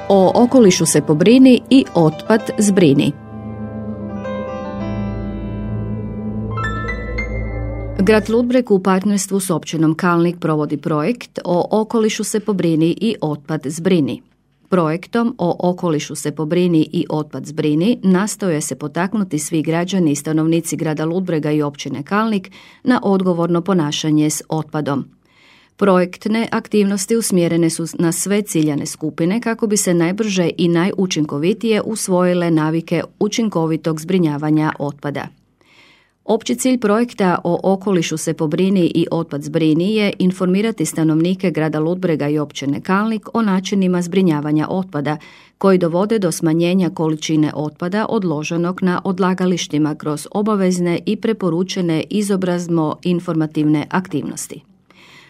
O okolišu se pobrini i otpad zbrini. Grad Ludbreg u partnerstvu s općinom Kalnik provodi projekt O okolišu se pobrini i otpad zbrini. Projektom O okolišu se pobrini i otpad zbrini nastoje se potaknuti svi građani i stanovnici grada Ludbrega i općine Kalnik na odgovorno ponašanje s otpadom. Projektne aktivnosti usmjerene su na sve ciljane skupine kako bi se najbrže i najučinkovitije usvojile navike učinkovitog zbrinjavanja otpada. Opći cilj projekta O okolišu se pobrini i otpad zbrini je informirati stanovnike grada Ludbrega i općine Kalnik o načinima zbrinjavanja otpada koji dovode do smanjenja količine otpada odloženog na odlagalištima kroz obavezne i preporučene izobrazno-informativne aktivnosti.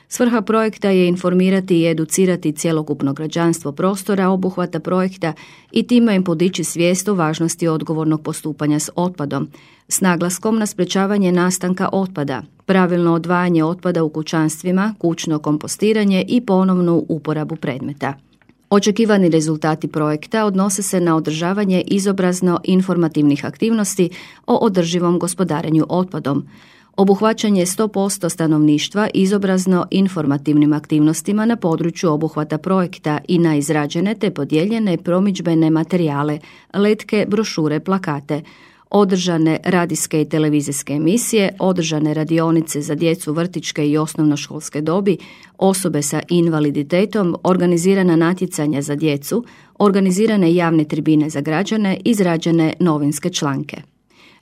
Svrha projekta je informirati i educirati cjelokupno građanstvo prostora obuhvata projekta i time im podići svijest o važnosti odgovornog postupanja s otpadom, s naglaskom na sprečavanje nastanka otpada, pravilno odvajanje otpada u kućanstvima, kućno kompostiranje i ponovnu uporabu predmeta. Očekivani rezultati projekta odnose se na održavanje izobrazno-informativnih aktivnosti o održivom gospodarenju otpadom, obuhvaćanje 100% stanovništva izobrazno-informativnim aktivnostima na području obuhvata projekta i na izrađene te podijeljene promidžbene materijale, letke, brošure, plakate, održane radijske i televizijske emisije, održane radionice za djecu vrtićke i osnovnoškolske dobi, osobe sa invaliditetom, organizirana natjecanja za djecu, organizirane javne tribine za građane, izrađene novinske članke.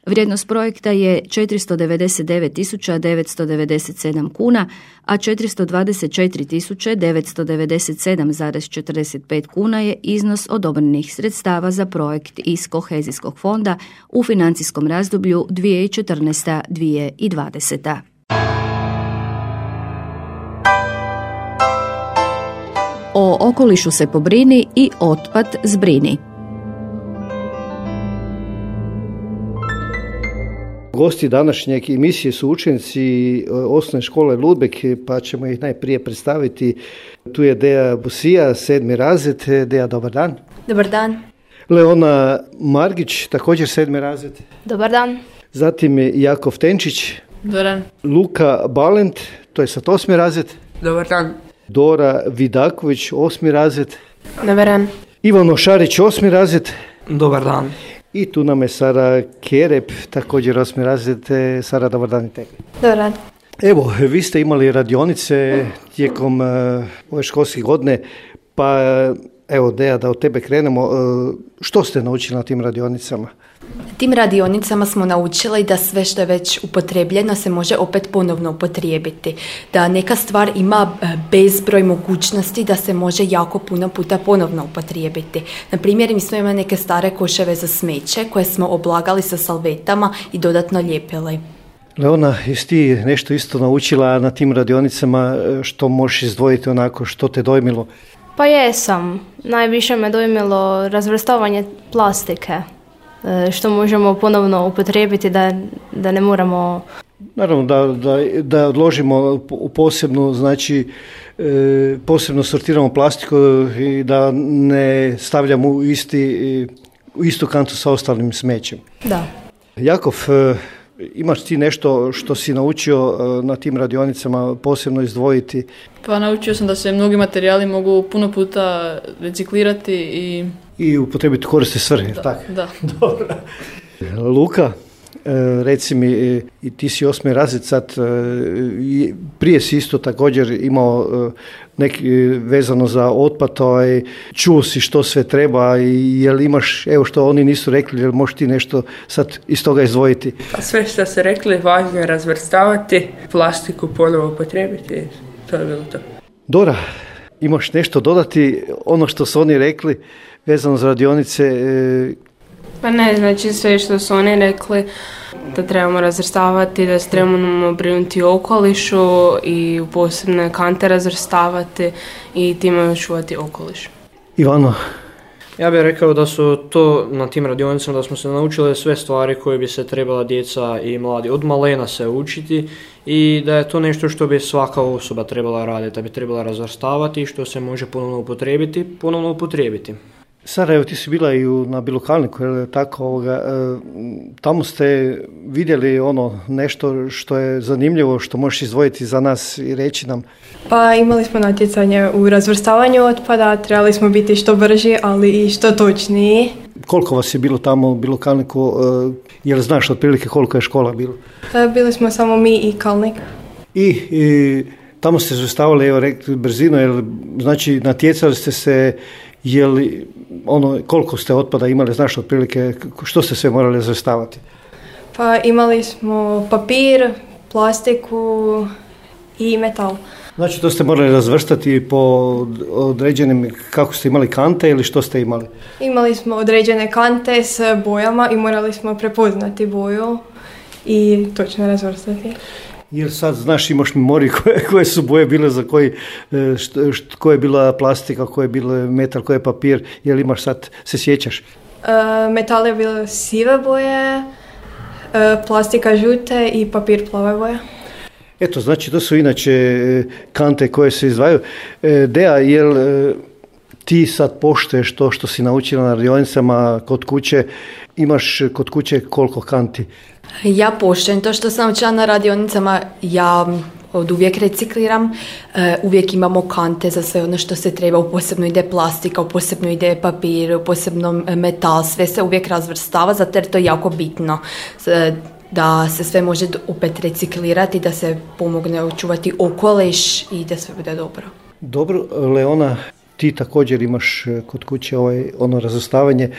Vrijednost projekta je 499.997 kuna, a 424.997,45 kuna je iznos odobrenih sredstava za projekt iz Kohezijskog fonda u financijskom razdoblju 2014-2020. O okolišu se pobrini i otpad zbrini. Gosti današnjeg emisije su učenici osnovne škole Ludbreg, pa ćemo ih najprije predstaviti. Tu je Deja Busija, 7. razred. Deja, dobar dan. Dobar dan. Leona Margić, također 7. razred. Dobar dan. Zatim je Jakov Tenčić. Dobar dan. Luka Balent, to je sad 8. razred. Dobar dan. Dora Vidaković, 8. razred. Dobar dan. Ivano Šarić, 8. razred. Dobar dan. I tu nam je Sara Kerep, također 8. razred. Sara, dobar dan i tebi. Dobar dan. Evo, vi ste imali radionice tijekom ove školske godine, pa evo Deja, da od tebe krenemo. Što ste naučili na tim radionicama? Tim radionicama smo naučili da sve što je već upotrebljeno se može opet ponovno upotrijebiti. Da neka stvar ima bezbroj mogućnosti da se može jako puno puta ponovno upotrijebiti. Na primjer, mi smo imali neke stare koševe za smeće koje smo oblagali sa salvetama i dodatno lijepili. Leona, jesi ti nešto isto naučila na tim radionicama, što možeš izdvojiti onako, što te dojmilo? Pa jesam. Najviše me dojmilo razvrstavanje plastike, što možemo ponovno upotrijebiti da ne moramo... Naravno da odložimo u posebnu, znači posebno sortiramo plastiku i da ne stavljamo u istu kantu sa ostalim smećem. Da. Jakov, imaš ti nešto što si naučio na tim radionicama posebno izdvojiti? Pa naučio sam da se mnogi materijali mogu puno puta reciklirati i upotrijebiti korisne svrhe. Da, tako? Da. Dobro. Luka, reci mi, i ti si 8. razred sad, prije si isto također imao neki vezano za otpad, čuo si što sve treba i jel imaš, evo što oni nisu rekli, jel možeš ti nešto sad iz toga izdvojiti? Pa sve što ste rekli, važno je razvrstavati, plastiku ponovo upotrijebiti, to je bilo to. Dora, imaš nešto dodati, ono što su oni rekli vezano za radionice? Pa ne, znači sve što su oni rekli, da trebamo razvrstavati, da se trebamo brinuti o okolišu i u posebne kante razvrstavati i time očuvati okoliš. Ivano? Ja bih rekao da su to na tim radionicama, da smo se naučili sve stvari koje bi se trebala djeca i mladi od malena se učiti i da je to nešto što bi svaka osoba trebala raditi, da bi trebala razvrstavati i što se može ponovno upotrijebiti. Sara, evo ti si bila i na Bilokalniku, tako, tamo ste vidjeli nešto što je zanimljivo, što možeš izdvojiti za nas i reći nam? Pa imali smo natjecanje u razvrstavanju otpada, trebali smo biti što brži, ali i što točniji. Koliko vas je bilo tamo u Bilokalniku, jel znaš otprilike koliko je škola bilo? Bili smo samo mi i Kalnik. I tamo ste razvrstavali, evo rekli brzinu, znači natjecali ste se, koliko ste otpada imali, znaš otprilike što ste sve morali razvrstavati? Pa imali smo papir, plastiku i metal. Znači to ste morali razvrstati po određenim, kako ste imali kante ili što ste imali? Imali smo određene kante s bojama i morali smo prepoznati boju i točno razvrstati. Jer sad znaš, imaš memoriju koje su boje bile za koja je bila plastika, koja je bila metal, koja je papir, jel imaš sad, se sjećaš? Metal je bilo sive boje, plastika žute i papir plave boje. Eto, znači to su inače kante koje se izdvajaju. Dea, jel ti sad poštuješ to što si naučila na radionicama kod kuće, imaš kod kuće koliko kanti? Ja poštujem to što sam naučila na radionicama, ja od uvijek recikliram, uvijek imamo kante za sve ono što se treba, u posebno ide plastika, u posebno ide papir, u posebno metal, sve se uvijek razvrstava, zato jer to je jako bitno da se sve može opet reciklirati, da se pomogne očuvati okoliš i da sve bude dobro. Dobro, Leona, ti također imaš kod kuće razvrstavanje,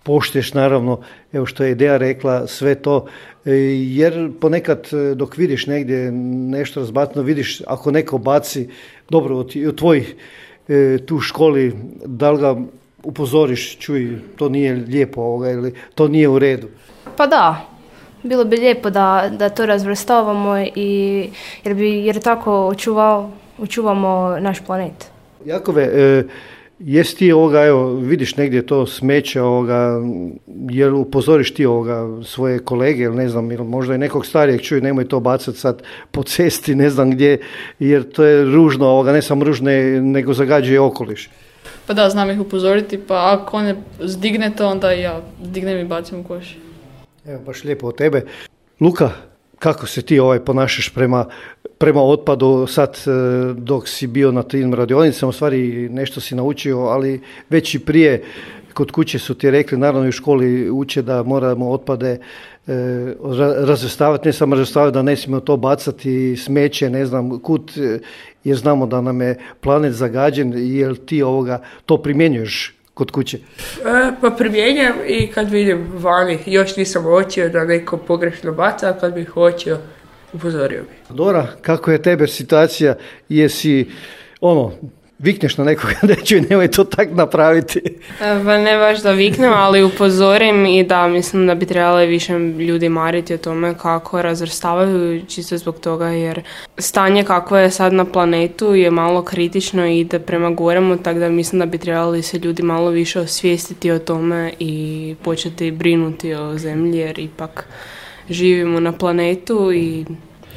poštuješ naravno, evo što je Ideja rekla, sve to, jer ponekad dok vidiš negdje nešto razbacno, vidiš ako neko baci, dobro, od tvojih tu školi, da li ga upozoriš, čuj, to nije lijepo ili to nije u redu? Pa da, bilo bi lijepo da to razvrstavamo jer tako očuvamo naš planet. Jakove, jesi ti vidiš negdje to smeće, jel upozoriš ti svoje kolege ili ne znam, ili možda i nekog starijeg, čuj, nemoj to bacati sad po cesti, ne znam gdje, jer to je ružno, ne samo ružno, nego zagađuje okoliš. Pa da, znam ih upozoriti, pa ako on ne zdigne to, onda ja dignem i bacim u koš. Evo, baš lijepo od tebe. Luka, kako se ti ponašaš prema otpadu sad dok si bio na tim radionicama, u stvari nešto si naučio, ali već i prije kod kuće su ti rekli, naravno i u školi uče da moramo otpade razvrstavati, ne samo razvrstavati, da ne smijemo to bacati, smeće, ne znam kud, jer znamo da nam je planet zagađen, jel ti to primjenjuješ kod kuće? Pa primjenjam i kad vidim vani, još nisam uočio da neko pogrešno baca, a kad bih uočio, upozorio bi. Dora, kako je tebe situacija? Jesi, vikneš na nekoga da ću nemoj to tak napraviti? Pa ne baš da viknem, ali upozorim i da mislim da bi trebali više ljudi mariti o tome kako razvrstavaju, čisto zbog toga jer stanje kako je sad na planetu je malo kritično i ide prema goremu, tako da mislim da bi trebali se ljudi malo više osvijestiti o tome i početi brinuti o zemlji jer ipak živimo na planetu i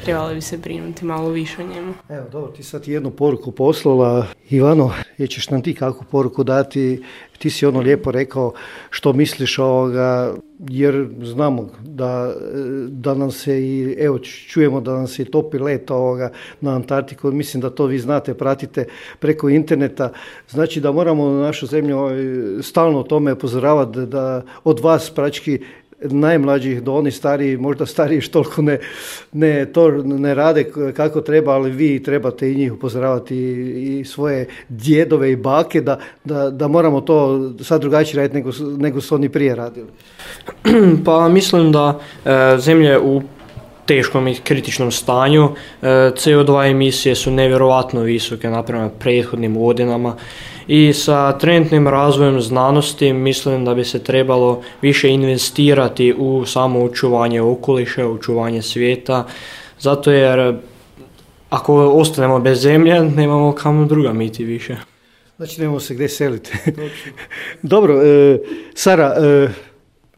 trebali bi se brinuti malo više o njemu. Evo, dobro, ti sad jednu poruku poslala. Ivano, ćeš nam ti kakvu poruku dati? Ti si lijepo rekao što misliš jer znamo da nam se i, evo, čujemo da nam se i topi led na Antarktiku. Mislim da to vi znate, pratite preko interneta. Znači da moramo našu zemlju stalno o tome upozoravati, da od vas praktički najmlađih do onih stariji, možda stariji što toliko ne rade kako treba, ali vi trebate i njih upozoravati i svoje djedove i bake da moramo to sad drugačije raditi nego su oni prije radili. Pa mislim da zemlja je u teškom i kritičnom stanju. CO2 emisije su nevjerojatno visoke naprema prethodnim godinama i sa trenutnim razvojem znanosti mislim da bi se trebalo više investirati u samo očuvanje okoliša, očuvanje svijeta, zato jer ako ostanemo bez zemlje nemamo kamo druga miti više. Znači nemamo se gdje seliti. Dobro, Sara,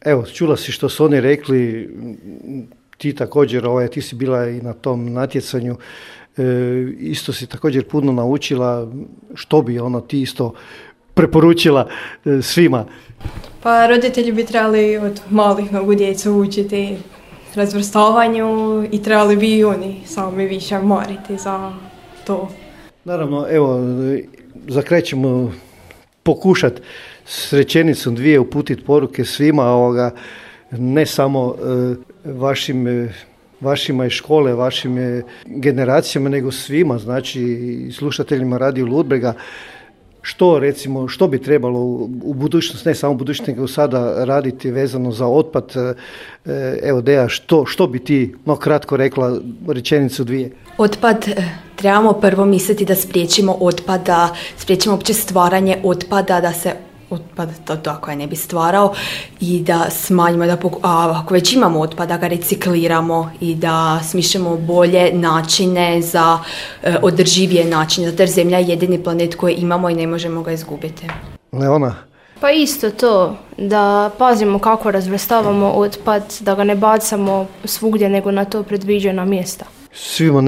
evo čula si što su oni rekli, ti također, ti si bila i na tom natjecanju, isto si također puno naučila, što bi ti isto preporučila svima? Pa roditelji bi trebali od malih nogu djecu učiti razvrstavanju i trebali bi i oni sami više mariti za to. Naravno, evo, za kraj ćemo pokušati s rečenicom dvije uputiti poruke svima, ne samo vašima iz škole, vašim generacijama, nego svima, znači slušateljima Radio Ludbrega. Što bi trebalo u budućnosti, ne samo u budućnosti, nego sada raditi vezano za otpad? Evo, Deja, što bi ti kratko rekla, rečenicu dvije? Otpad, trebamo prvo misliti da spriječimo otpad, da spriječimo uopće stvaranje otpada, da se otpad tako ne bi stvarao i da smanjimo, a ako već imamo otpad, da ga recikliramo i da smišljamo bolje načine za održivije načine, zato jer Zemlja je jedini planet koji imamo i ne možemo ga izgubiti. Leona? Pa isto to, da pazimo kako razvrstavamo otpad, da ga ne bacamo svugdje nego na to predviđena mjesta. Svima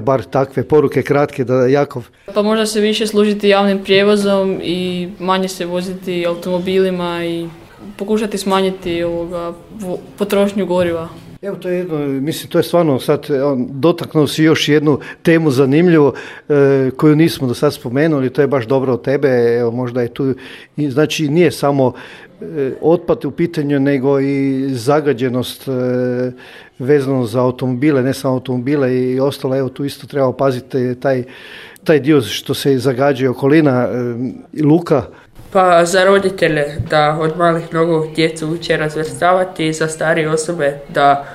bar takve poruke kratke, da Jakov. Pa možda se više služiti javnim prijevozom i manje se voziti automobilima i pokušati smanjiti potrošnju goriva. Evo, to je to je stvarno sad dotaknuo si još jednu temu zanimljivu koju nismo do sad spomenuli, to je baš dobro od tebe, evo, možda je tu, znači nije samo otpad u pitanju, nego i zagađenost vezano za automobile, ne samo automobile i ostalo, evo tu isto treba paziti taj dio što se zagađuje okolina. Luka? Pa za roditelje da od malih nogu djecu uče razvrstavati, za starije osobe da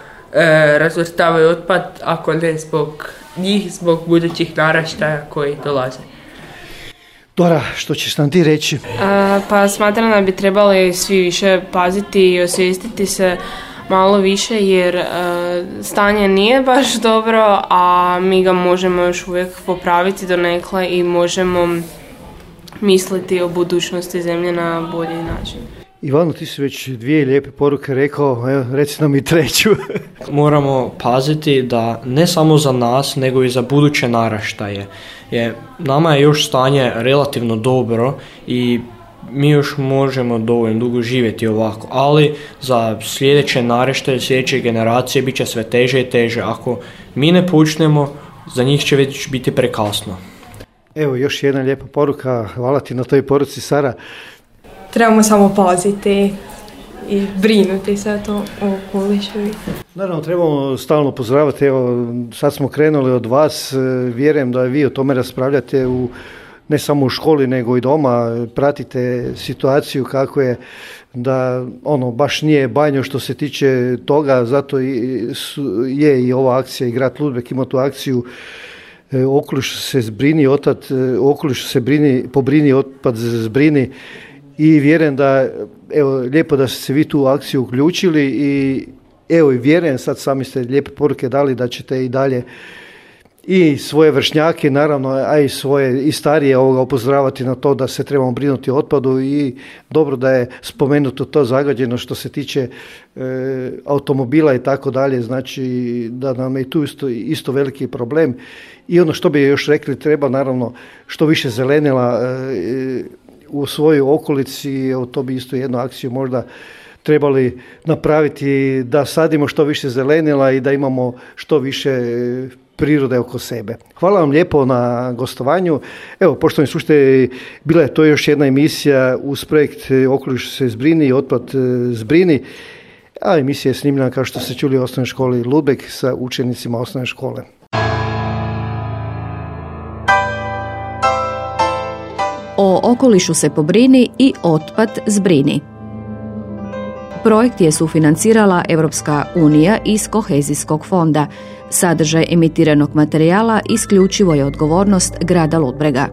razvrstavaju otpad, ako ne zbog njih, zbog budućih naraštaja koji dolaze. Dora, što ćeš nam ti reći? Pa smatram da bi trebali svi više paziti i osvijestiti se malo više, jer stanje nije baš dobro, a mi ga možemo još uvijek popraviti donekle i možemo misliti o budućnosti Zemlje na bolji način. Ivano, ti si već dvije lijepe poruke rekao, evo, reci nam i treću. Moramo paziti da ne samo za nas, nego i za buduće naraštaje. Nama je još stanje relativno dobro i mi još možemo dovoljno dugo živjeti ovako, ali za sljedeće naraštaje, sljedeće generacije bit će sve teže i teže. Ako mi ne počnemo, za njih će već biti prekasno. Evo, još jedna lijepa poruka, hvala ti na toj poruci, Sara. Trebamo samo paziti i brinuti se o okolišu. Naravno, trebamo stalno pozdraviti, evo, sad smo krenuli od vas, vjerujem da vi o tome raspravljate ne samo u školi, nego i doma, pratite situaciju kako je, da baš nije bajno što se tiče toga, zato je i ova akcija i grad Ludbreg ima tu akciju okoliš se zbrini, okoliš se pobrini, otpad zbrini, i vjerujem da, evo, lijepo da ste se vi tu u akciju uključili i evo, i vjerujem, sad sami ste lijepe poruke dali da ćete i dalje i svoje vršnjake, naravno, a i svoje i starije upozoravati na to da se trebamo brinuti o otpadu, i dobro da je spomenuto to zagađeno što se tiče automobila i tako dalje, znači da nam je tu isto veliki problem. I ono što bi još rekli, treba naravno što više zelenila u svojoj okolici, to bi isto jednu akciju možda trebali napraviti, da sadimo što više zelenila i da imamo što više prirode oko sebe. Hvala vam lijepo na gostovanju. Evo, poštovani slušatelji, bila je to još jedna emisija uz projekt Okoliš se zbrini i otpad zbrini, a emisija je snimljena, kao što ste čuli, u osnovnoj školi Ludbreg sa učenicima osnovne škole. O okolišu se pobrini i otpad zbrini. Projekt je sufinancirala Europska unija iz Kohezijskog fonda. Sadržaj emitiranog materijala isključivo je odgovornost grada Ludbrega.